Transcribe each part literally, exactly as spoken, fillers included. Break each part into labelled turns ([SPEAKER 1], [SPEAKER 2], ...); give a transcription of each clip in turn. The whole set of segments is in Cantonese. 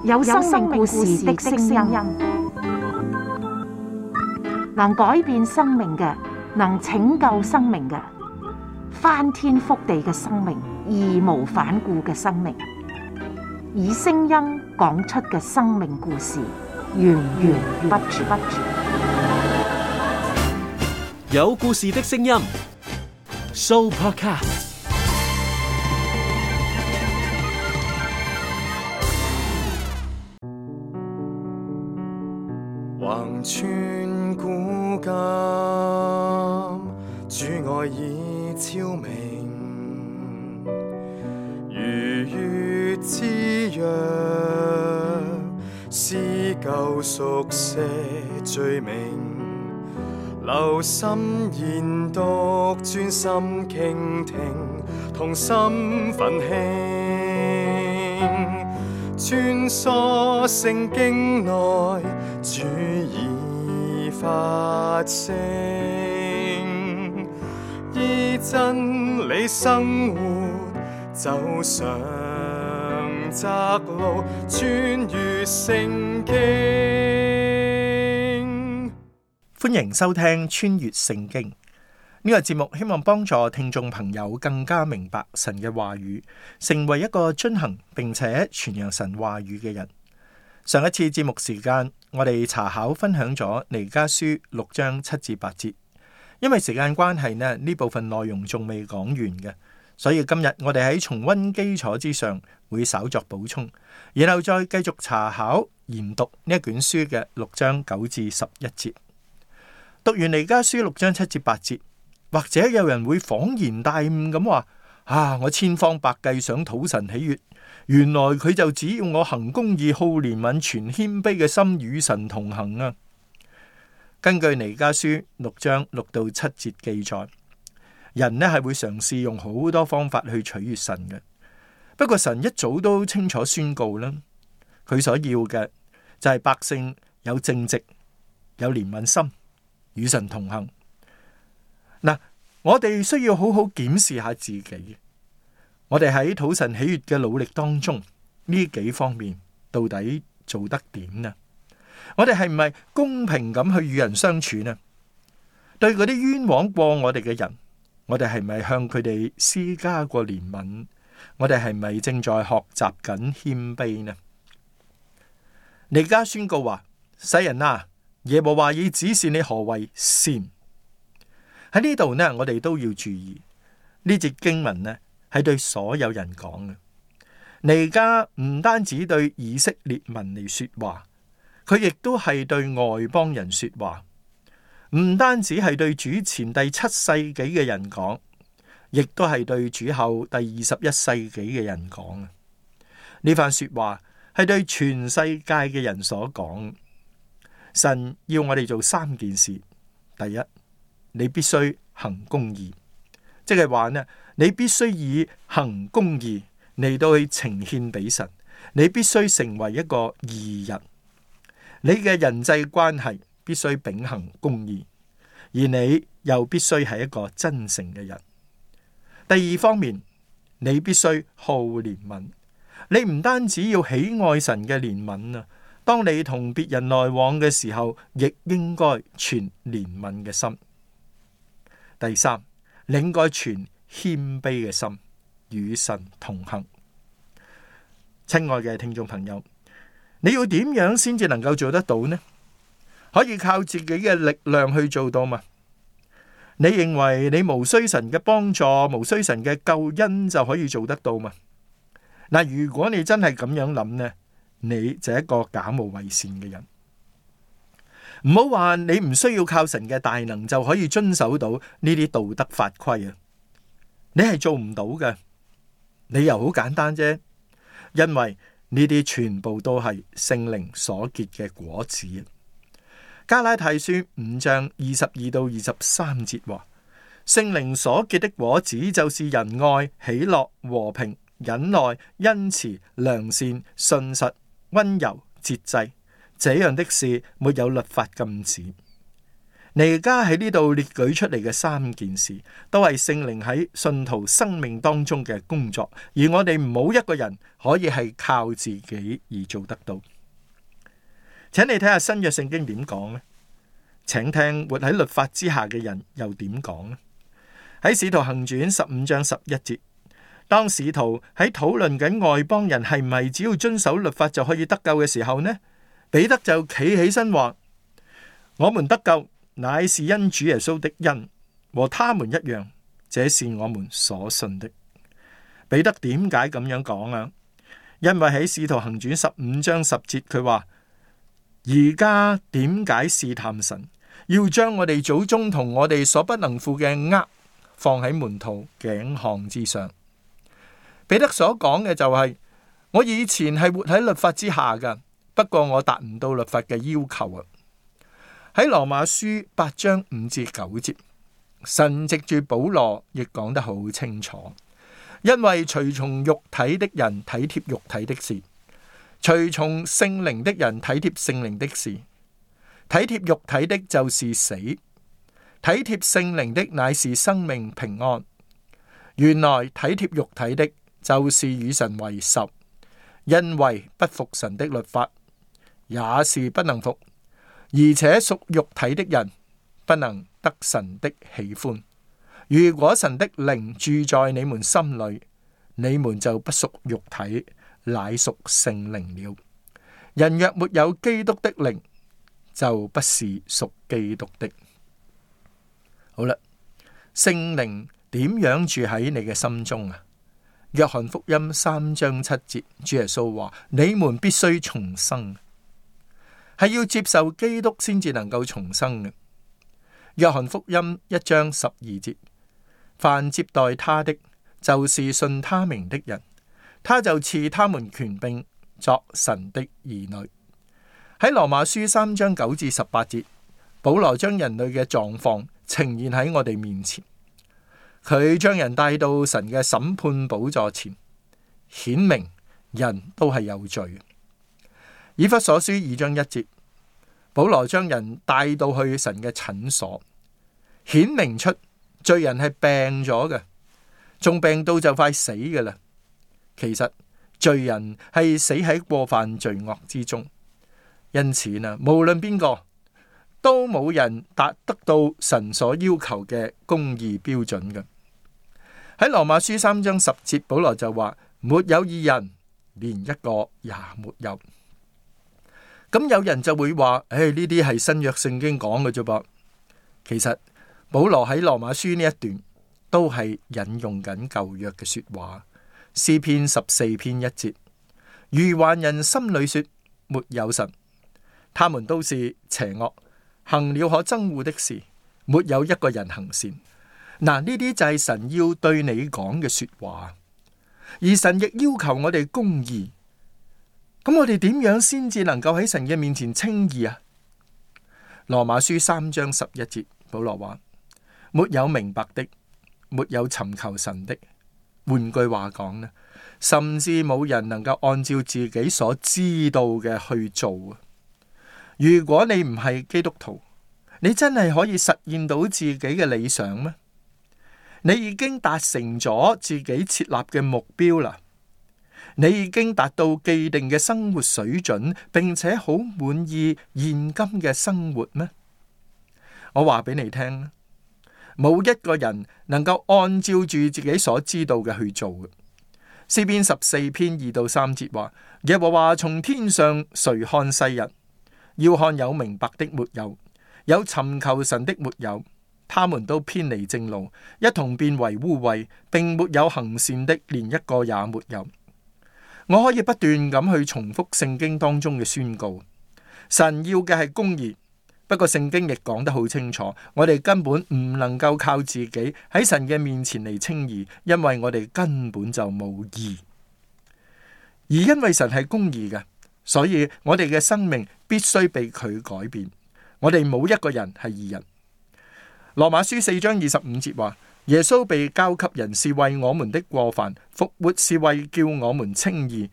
[SPEAKER 1] 有生命故事的聲音，能改變生命嘅，能拯救生命嘅，翻天覆地嘅生命，義無反顧嘅生命，以聲音講出嘅生命故事，源源不絕。
[SPEAKER 2] 有故事的聲音 ，Sooopodcast。
[SPEAKER 3] 橫穿古今，主愛已超明，如月之約，撕舊熟寫罪名，留心研讀，專心傾聽，同心奮興，穿梭聖經內，主已發聲，依真理生活，走上窄路，穿越聖經。
[SPEAKER 4] 歡迎收聽穿越聖經呢個節目，希望幫助聽眾朋友更加明白神嘅話語，成為一個遵行並且傳揚神話語嘅人。上一次節目時間，我哋查考分享咗彌迦書六章七至八節，因為時間關係呢，呢部分內容仲未講完嘅，所以今日我哋喺重溫基礎之上會稍作補充，然後再繼續查考研讀呢一卷書嘅六章九至十一節。讀完彌迦書六章七至八節，或者有人會恍然大悟咁話：啊，我千方百計想討神喜悅，原來佢就只要我行公義、好憐憫、存謙卑嘅心，與神同行啊！根據彌迦書六章六到七節記載，人呢係會嘗試用好多方法去取悅神嘅。不過神一早都清楚宣告啦，佢所要嘅就係百姓有正直、有憐憫心，與神同行。嗱，我哋需要好好檢視下自己，我哋喺討神喜悅嘅努力當中，呢幾方面到底做得點呢？我哋係唔係公平咁去與人相處呢？對嗰啲冤枉過我哋嘅人，我哋係咪向佢哋施加過憐憫？我哋係咪正在學習緊謙卑呢？彌迦宣告話：世人啊，耶和華已指示你何為善。喺呢度呢，我哋都要注意呢節經文呢，係對所有人講嘅。彌迦唔單止對以色列民嚟說話，佢亦都係對外邦人說話。唔單止係對主前第七世紀嘅人講，亦都係對主後第二十一世紀嘅人講。呢番說話係對全世界嘅人所講。神要我哋做三件事。第一，你必須行公義，即係話呢，你必須以行公義嚟到去呈獻俾神，你必須成為一個義人，你嘅人際關係必須秉行公義，而你又必須係一個真誠嘅人。第二方面，你必須好憐憫，你唔單止要喜愛神嘅憐憫啊，當你同別人來往嘅時候，亦應該存憐憫嘅心。第三，你應該存謙卑嘅心，與神同行。親愛嘅聽眾朋友，你要點樣先至能夠做得到呢？可以靠自己嘅力量去做到嘛？你認為你無需神嘅幫助，無需神嘅救恩就可以做得到嘛？嗱，如果你真係咁樣諗呢，你就係一個假冒偽善嘅人。唔好話你唔需要靠神嘅大能就可以遵守到呢啲道德法規啊！你係做唔到嘅，理由好簡單啫，因為呢啲全部都係聖靈所結嘅果子。加拉太書五章二十二到二十三節話：聖靈所結的果子就是仁愛、喜樂、和平、忍耐、恩慈、良善、信實、溫柔、節制。這樣的事沒有律法禁止。你而家喺呢度列舉出嚟嘅三件事，都係聖靈喺信徒生命當中嘅工作，而我哋冇一個人可以係靠自己而做得到。請你睇下新約聖經點講呢？請聽活喺律法之下嘅人又點講呢？喺使徒行傳十五章十一節，當使徒喺討論緊外邦人係咪只要遵守律法就可以得救嘅時候呢，彼得就企起身話：我們得救乃是因主耶穌的恩，和他們一樣，這是我們所信的。彼得點解咁樣講啊？因為喺使徒行傳十五章十節，佢話：而家點解試探神，要將我哋祖宗同我哋所不能負嘅軛放喺門徒頸項之上？彼得所講嘅就係、是：我以前係活喺律法之下噶，不過我達唔到律法嘅要求啊。喺羅馬書八章五至九節，神藉住保羅亦講得好清楚，因為隨從肉體的人體貼肉體的事，隨從聖靈的人體貼聖靈的事。體貼肉體的就是死，體貼聖靈的乃是生命平安。原來體貼肉體的就是與神為仇，因為不服神的律法，也是不能服。而且屬肉體的人不能得神的喜歡。如果神的靈住在你們心裏，你們就不屬肉體，乃屬聖靈了。人若沒有基督的靈，就不是屬基督的。好啦，聖靈點樣住喺你嘅心中啊？約翰福音三章七節，主耶穌話：你們必須重生。係要接受基督先至能夠重生嘅。約翰福音一章十二節，凡接待他的，就是信他名的人，他就賜他們權柄作神的兒女。喺羅馬書三章九至十八節，保羅將人類嘅狀況呈現喺我哋面前，佢將人帶到神嘅審判寶座前，顯明人都係有罪。以弗所書二章一節，保羅將人帶到去神嘅診所，顯明出罪人係病咗嘅，仲病到就快死嘅啦。其實罪人係死喺過犯罪惡之中，因此呢，無論邊個都冇人達得到神所要求嘅公義標準嘅。喺羅馬書三章十節，保羅就話：沒有義人，連一個也沒有。咁有人就會話：誒，呢啲係新約聖經講嘅啫噃。其實保羅喺羅馬書呢一段都係引用緊舊約嘅說話。詩篇十四篇一節：愚頑人心裏說沒有神，他們都是邪惡，行了可憎惡的事，沒有一個人行善。嗱，呢啲就係神要對你講嘅說話，而神亦要求我哋公義。咁我哋點樣先至能夠喺神嘅面前稱義啊？羅馬書三章十一節，保羅話：沒有明白的，沒有尋求神的。換句話講呢，甚至冇人能夠按照自己所知道嘅去做。如果你唔係基督徒，你真係可以實現到自己嘅理想咩？你已經達成咗自己設立嘅目標啦。你已經達到既定嘅生活水準，並且好滿意現今嘅生活咩？我話俾你聽，冇一個人能夠按照住自己所知道嘅去做嘅。詩篇十四篇二到三節話：耶和華從天上垂看世人，要看有明白的沒有，有尋求神的沒有，他們都偏離正路，一同變為污穢，並沒有行善的，連一個也沒有。我可以不斷咁去重複聖經當中嘅宣告，神要嘅係公義。不過聖經亦講得好清楚，我哋根本唔能夠靠自己喺神嘅面前嚟稱義，因為我哋根本就冇義。而因為神係公義嘅，所以我哋嘅生命必須被佢改變。我哋冇一個人係義人。羅馬書四章二十五節話：耶穌被交給人是為我們的過犯，復活是為叫我們稱義。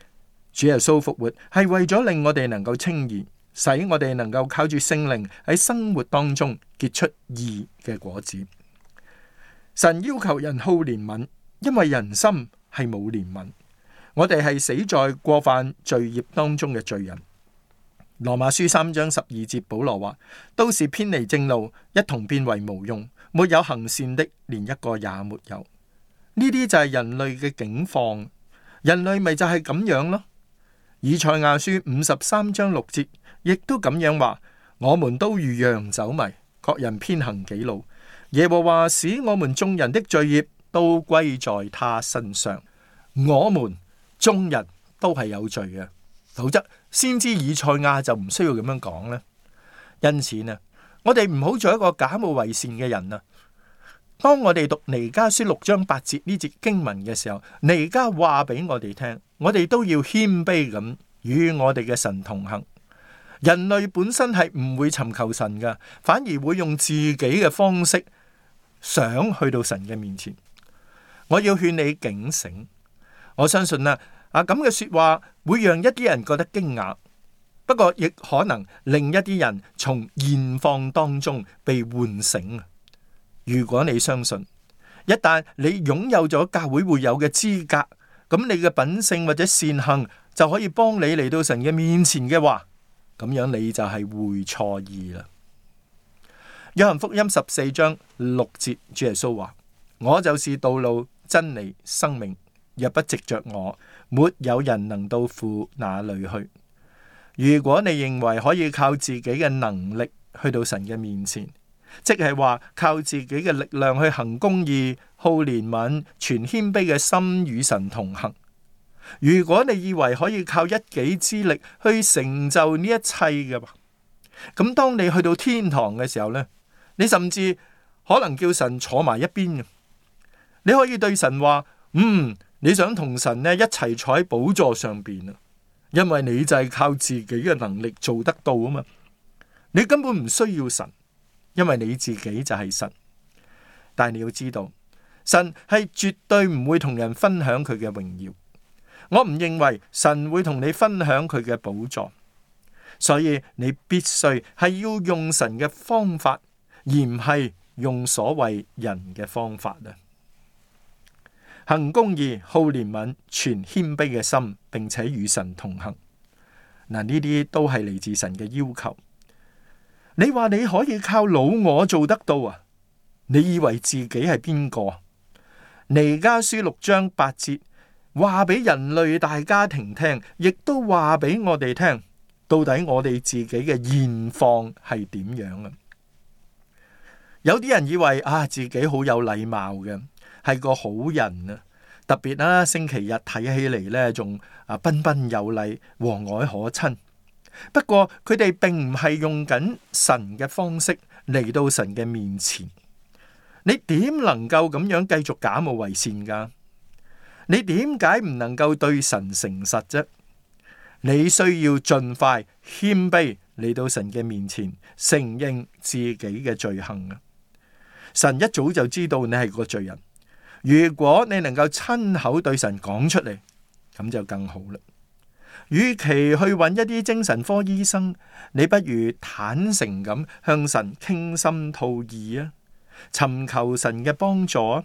[SPEAKER 4] 主耶穌復活係為咗令我哋能夠稱義。使我哋能夠靠住聖靈喺生活當中結出義嘅果子。神要求人好憐憫，因為人心係冇憐憫。我哋係死在過犯罪孽當中嘅罪人。羅馬書三章十二節，保羅話：都是偏離正路，一同變為無用，沒有行善的，連一個也沒有。呢啲就係人類嘅境況，人類咪就係咁樣咯。以賽亞書五十三章六節亦都咁樣話：我們都如羊走迷，各人偏行己路。耶和華使我們眾人的罪孽都歸在他身上。我們眾人都係有罪嘅，否則先知以賽亞就唔需要咁樣講咧。因此呢，我哋唔好做一個假冒為善嘅人啊！當我哋讀彌迦書六章八節呢節經文嘅時候，彌迦話俾我哋聽，我哋都要謙卑咁與我哋嘅神同行。人類本身係唔會尋求神噶，反而會用自己嘅方式想去到神嘅面前。我要勸你警醒，我相信啊，啊咁嘅說話會讓一啲人覺得驚訝，不過亦可能令一啲人從現況當中被喚醒。如果你相信，一旦你擁有咗教會會有嘅資格，咁你嘅品性或者善行就可以幫你嚟到神嘅面前嘅話，咁樣你就係會錯意啦。約翰福音十四章六節，主耶穌話：我就是道路、真理、生命，若不藉着我，沒有人能到父那裏去。如果你認為可以靠自己嘅能力去到神嘅面前，即係話靠自己嘅力量去行公義、好憐憫、存謙卑嘅心與神同行。如果你以為可以靠一己之力去成就呢一切嘅話，咁當你去到天堂嘅時候呢，你甚至可能叫神坐埋一邊嘅。你可以對神話：嗯，你想同神呢一齊坐喺寶座上邊啊，因為你就係靠自己嘅能力做得到啊嘛。你根本唔需要神，因為你自己就係神。但係你要知道，神係絕對唔會同人分享佢嘅榮耀。我唔認為神會同你分享佢嘅寶座，所以你必須係要用神嘅方法，而唔係用所謂人嘅方法啊！行公義、好憐憫、存謙卑嘅心，並且與神同行。嗱，呢啲都係嚟自神嘅要求。你話你可以靠老我做得到啊？你以為自己係邊個？彌迦書六章八節。話俾人類大家庭聽，亦都話俾我哋聽，到底我哋自己嘅現況係點樣啊？有啲人以為啊，自己好有禮貌嘅，係個好人啊，特別啦，星期日睇起嚟呢，仲啊彬彬有禮、和藹可親。不過佢哋並唔係用緊神嘅方式嚟到神嘅面前。你點能夠咁樣繼續假冒為善噶？你點解唔能夠對神誠實啫？你需要盡快謙卑嚟到神嘅面前，承認自己嘅罪行啊！神一早就知道你係個罪人，如果你能夠親口對神講出嚟，咁就更好啦。與其去揾一啲精神科醫生，你不如坦誠咁向神傾心吐意啊，尋求神嘅幫助啊！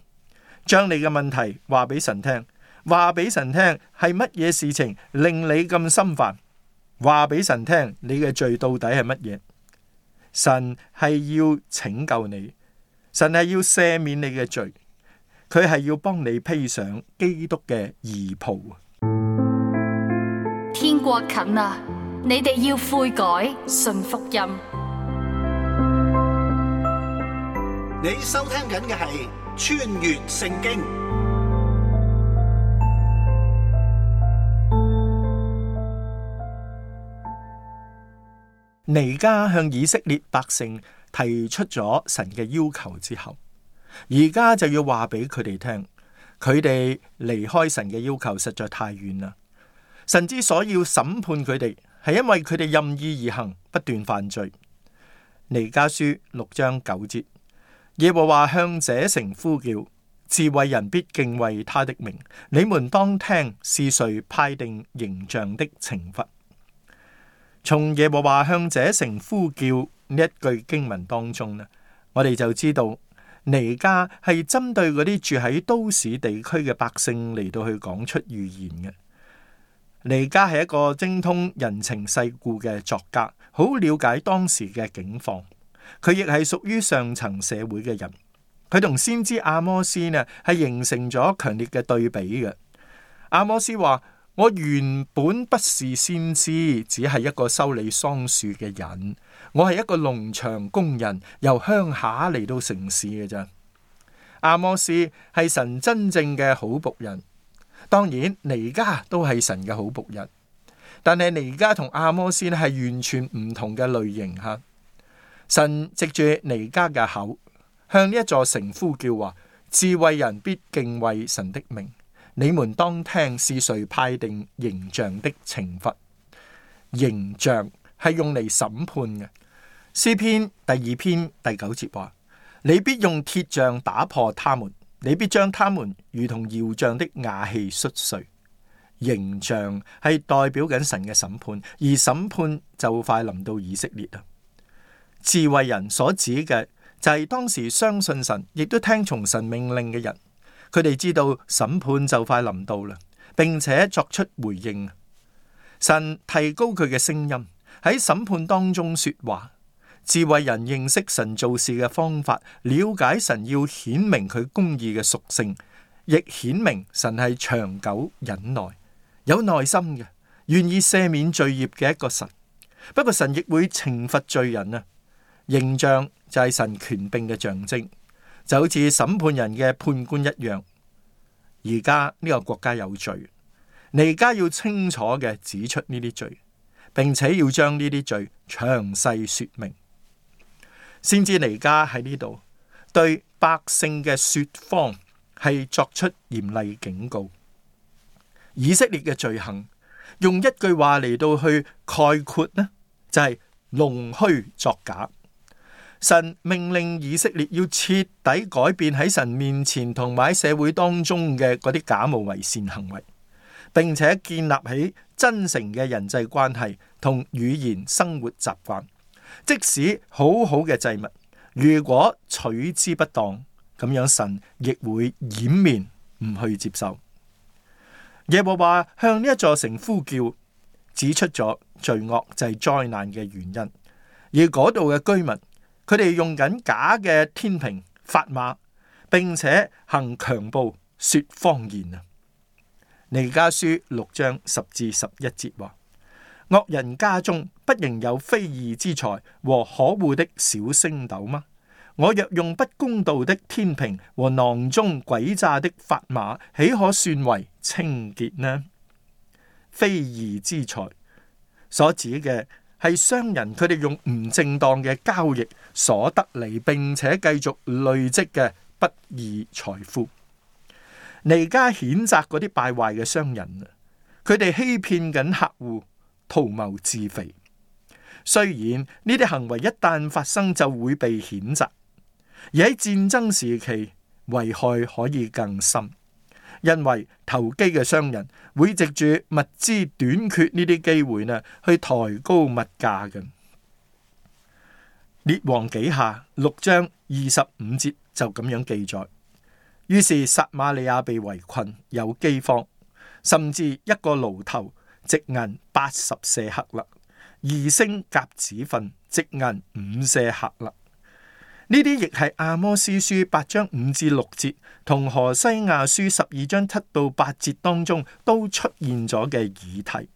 [SPEAKER 4] 將你嘅問題話俾神聽，話俾神聽係乜嘢事情令你咁心煩，話俾神聽你嘅罪到底係乜嘢。神係要拯救你，神係要赦免你嘅罪，佢係要幫你披上基督嘅義袍。
[SPEAKER 5] 天國近啦，你哋要悔改，信福音。
[SPEAKER 6] 你收聽緊嘅係穿越聖經。
[SPEAKER 4] 彌迦向以色列百姓提出咗神嘅要求之後，而家就要話俾佢哋聽，佢哋離開神嘅要求實在太遠啦。神之所以要審判佢哋，係因為佢哋任意而行，不斷犯罪。彌迦書六章九節，耶和華向這城呼叫，智慧人必敬畏他的名。你們當聽，是誰派定刑杖的懲罰？從耶和華向這城呼叫呢一句經文當中呢，我哋就知道彌迦係針對嗰啲住喺都市地區嘅百姓嚟到去講出預言嘅。彌迦係一個精通人情世故嘅作家，好了解當時嘅境況。佢亦係屬於上層社會嘅人。佢同先知阿摩斯呢係形成咗強烈嘅對比嘅。阿摩斯話：我原本不是先知，只係一個修理桑樹嘅人。我係一個農場工人，由鄉下嚟到城市嘅咋。阿摩斯係神真正嘅好僕人，當然彌迦都係神嘅好僕人，但係彌迦同阿摩斯呢係完全唔同嘅類型吓。神藉住彌迦嘅口，向呢一座城呼叫話：智慧人必敬畏神的名。你們當聽是誰派定刑杖的懲罰。刑杖係用嚟審判嘅。詩篇第二篇第九節話：你必用鐵杖打破他們，你必將他們如同窯匠的瓦器摔碎。刑杖係代表緊神嘅審判，而審判就快臨到以色列啦。智慧人所指嘅就係當時相信神，亦都聽從神命令嘅人。佢哋知道審判就快臨到啦，並且作出回應。神提高佢嘅聲音喺審判當中說話。智慧人認識神做事嘅方法，了解神要顯明佢公義嘅屬性，亦顯明神係長久忍耐、有耐心嘅，願意赦免罪孽嘅一個神。不過神亦會懲罰罪人啊。刑杖就係神權柄嘅象徵，就好似審判人嘅判官一樣。而家呢個國家有罪，彌迦要清楚嘅指出呢啲罪，並且要將呢啲罪詳細說明。先知彌迦喺呢度對百姓嘅說謊係作出嚴厲警告。以色列嘅罪行用一句話嚟到去概括呢，就係弄虛作假。神命令以色列要徹底改變喺神面前同埋喺社會當中嘅嗰啲假冒為善行為，並且建立起真誠嘅人際關係同語言生活習慣。即使好好嘅祭物，如果取之不當，咁樣神亦會掩面唔去接受。耶和華向呢一座城呼叫，指出咗罪惡就係災難嘅原因，而嗰度嘅居民，佢哋用緊假嘅天平砝碼，並且行強暴說謊言啊。彌迦書六章十至十一節話：惡人家中不仍有非義之財和可惡的小升斗嗎？我若用不公道的天平和囊中詭詐的砝碼，豈可算為清潔呢？非義之財所指嘅係商人，佢哋用唔正當嘅交易所得嚟，並且繼續累積嘅不義財富。彌迦譴責嗰啲敗壞嘅商人，佢哋欺騙緊客戶，圖謀自肥。雖然呢啲行為一旦發生就會被譴責，而喺戰爭時期危害可以更深，因為投機嘅商人會藉住物資短缺呢啲機會呢，去抬高物價嘅。列王紀下六章二十五節就咁樣記載：於是撒瑪利亞被圍困，有饑荒，甚至一個驢頭值銀八十舍客勒，二升鴿子糞值銀五舍客勒。呢啲亦係阿摩司書八章五至六節同何西亞書十二章七到八節當中都出現咗嘅議題。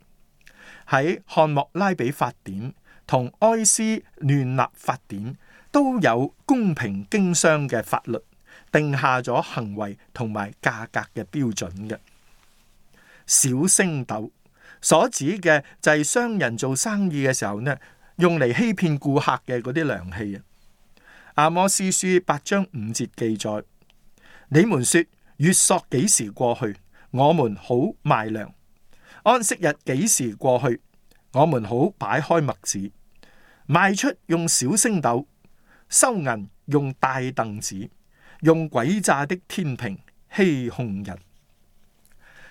[SPEAKER 4] 喺漢莫拉比法典同埃斯亂納法典都有公平經商嘅法律，定下咗行為同埋價格嘅標準嘅。小升斗所指嘅就係商人做生意嘅時候呢，用嚟欺騙顧客嘅嗰啲量器啊。阿摩司書八章五節記載：你們說月朔幾時過去，我們好賣糧；安息日幾時過去，我們好擺開麥子。賣出用小升斗，收銀用大凳子，用詭詐的天平欺哄人。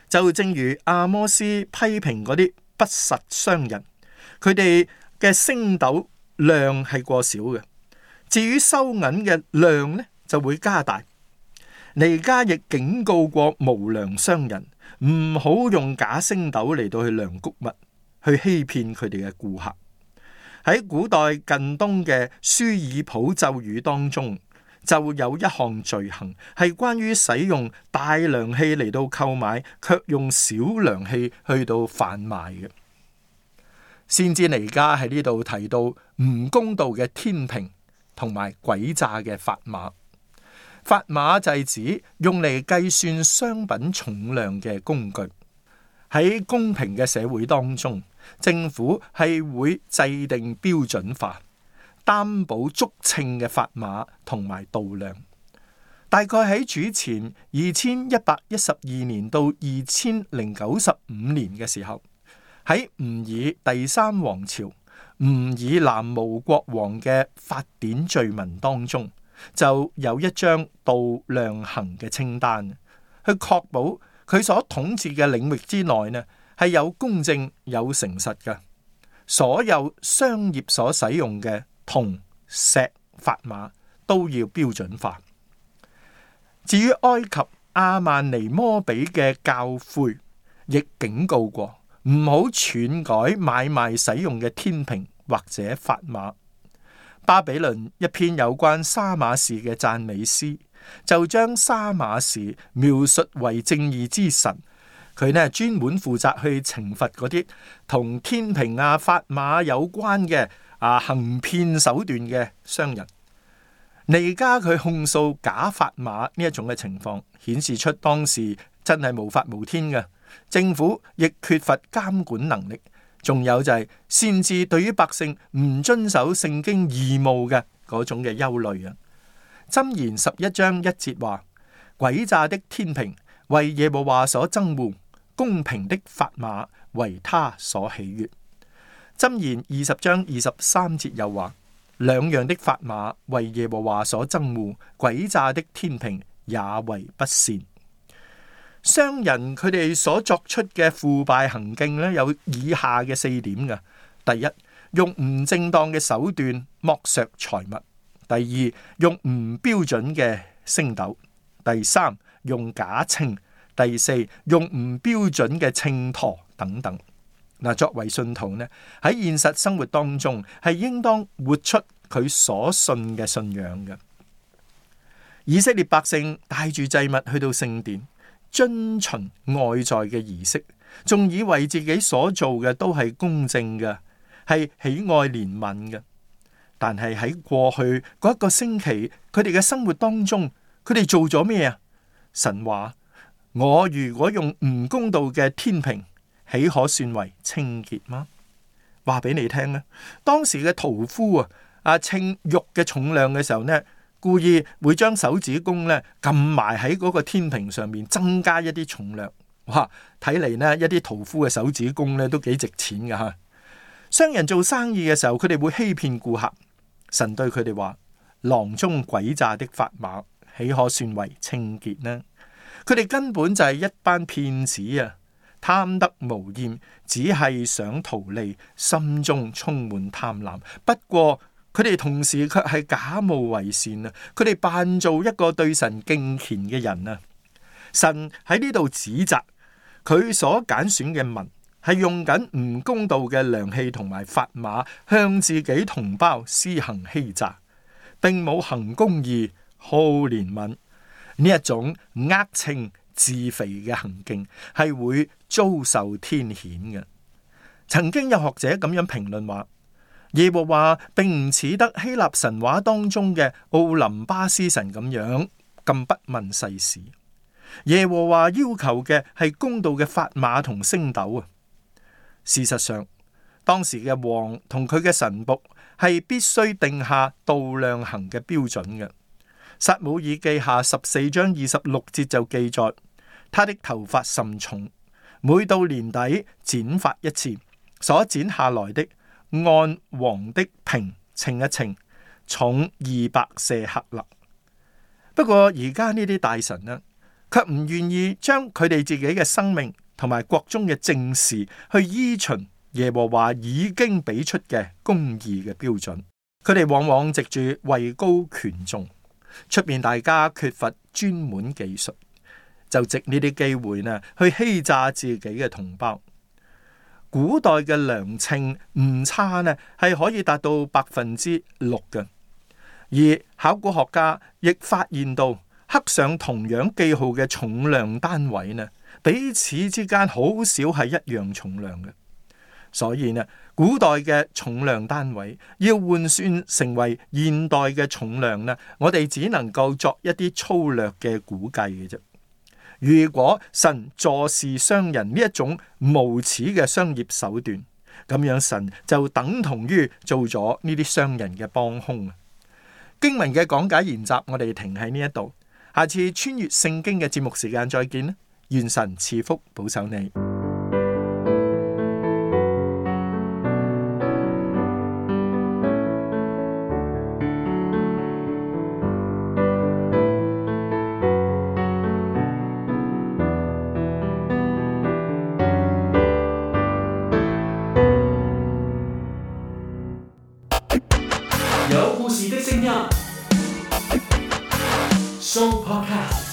[SPEAKER 4] 就正如阿摩司批評嗰啲不實商人，佢哋嘅升斗量係過少嘅，至於收銀嘅量呢，就會加大。彌迦亦警告過無良商人，唔好用假升斗嚟到去量穀物，去欺騙佢哋嘅顧客。喺古代近東嘅舒爾普咒語當中，就有一項罪行係關於使用大量器嚟到購買，卻用小量器去到販賣嘅。先知彌迦喺呢度提到唔公道嘅天平同埋詭詐嘅法碼。法碼就係指用嚟計算商品重量嘅工具。喺公平嘅社會當中，政府係會制定標準化、擔保足稱嘅法碼同埋度量。大概喺主前二千一百一十二年到二千零九十五年嘅時候，喺吾爾第三王朝吾爾南無國王嘅法典序文當中，就有一張度量衡嘅清單，去確保佢所統治嘅領域之內呢係有公正有誠實嘅。所有商業所使用嘅銅石法碼都要標準化。至於埃及亞曼尼摩比嘅教誨，亦警告過唔好篡改買賣使用嘅天平或者法碼。巴比倫一篇有關沙馬士嘅讚美詩，就將沙馬士描述為正義之神。佢呢專門負責去懲罰嗰啲同天平啊法碼有關嘅啊行騙手段嘅商人。彌迦佢控訴假法碼呢一種嘅情況，顯示出當時真係無法無天嘅，政府亦缺乏監管能力。仲有就係先知對於百姓唔遵守聖經義務嘅嗰種嘅憂慮啊。箴言十一章一節話：詭詐的天平為耶和華所憎惡，公平的法碼為他所喜悅。箴言二十章二十三節又話：兩樣的法碼為耶和華所憎惡，詭詐的天平也為不善。商人佢哋所作出嘅腐敗行徑咧，有以下嘅四點嘅。第一，用唔正當嘅手段剝削財物；第二，用唔標準嘅升斗；第三，用假稱；第四，用唔標準嘅秤砣等等。嗱，作為信徒呢，喺現實生活當中係應當活出佢所信嘅信仰嘅。以色列百姓帶住祭物去到聖殿，遵循外在嘅儀式，仲以為自己所做嘅都係公正嘅，係喜愛憐憫嘅。但係喺過去嗰一個星期，佢哋嘅生活當中，佢哋做咗咩啊？神話：我如果用唔公道嘅天平，豈可算為清潔嗎？話俾你聽咧，當時嘅屠夫啊，啊稱肉嘅重量嘅時候呢，故意會將手指公咧撳埋喺嗰個天平上面，增加一啲重量。哇！睇嚟呢一啲屠夫嘅手指公咧都幾值錢噶吓。商人做生意嘅時候，佢哋會欺騙顧客。神對佢哋話：囊中詭詐的法碼，豈可算為清潔呢？佢哋根本就係一班騙子啊！貪得無厭，只係想圖利，心中充滿貪婪。不過佢哋同時卻係假冒為善啊！佢哋扮做一個對神敬虔嘅人啊！神喺呢度指責佢所揀選嘅民係用緊唔公道嘅量器同埋法碼，向自己同胞施行欺詐，並冇行公義、好憐憫呢一種呃稱自肥嘅行徑，係會遭受天譴嘅。曾經有學者咁樣評論話：耶和華並唔似得希臘神話當中嘅奧林巴斯神咁樣咁不問世事。耶和華要求嘅係公道嘅法碼同升斗啊！事實上，當時嘅王同佢嘅臣僕係必須定下度量衡嘅標準嘅。撒母耳記下十四章二十六節就記載：他的頭髮甚重，每到年底剪髮一次，所剪下來的按王的平稱一稱，重二百舍客勒。不過而家呢啲大臣呢，卻唔願意將佢哋自己嘅生命同埋國中嘅政事去依循耶和華已經俾出嘅公義嘅標準。佢哋往往藉住位高權重，出面大家缺乏專門技術，就藉呢啲機會呢去欺詐自己嘅同胞。古代嘅量稱誤差呢係可以達到百分之六嘅，而考古學家亦發現到刻上同樣記號嘅重量單位呢，彼此之間好少係一樣重量嘅。所以呢，古代嘅重量單位要換算成為現代嘅重量呢，我哋只能夠作一啲粗略嘅估計嘅啫。如果神坐視商人呢一種無恥嘅商業手段，咁樣神就等同於做咗呢啲商人嘅幫兇。經文嘅講解研習，我哋停喺呢一度，下次穿越聖經嘅節目時間再見啦！願神賜福保守你。
[SPEAKER 2] 有故事的聲音，Show Podcast。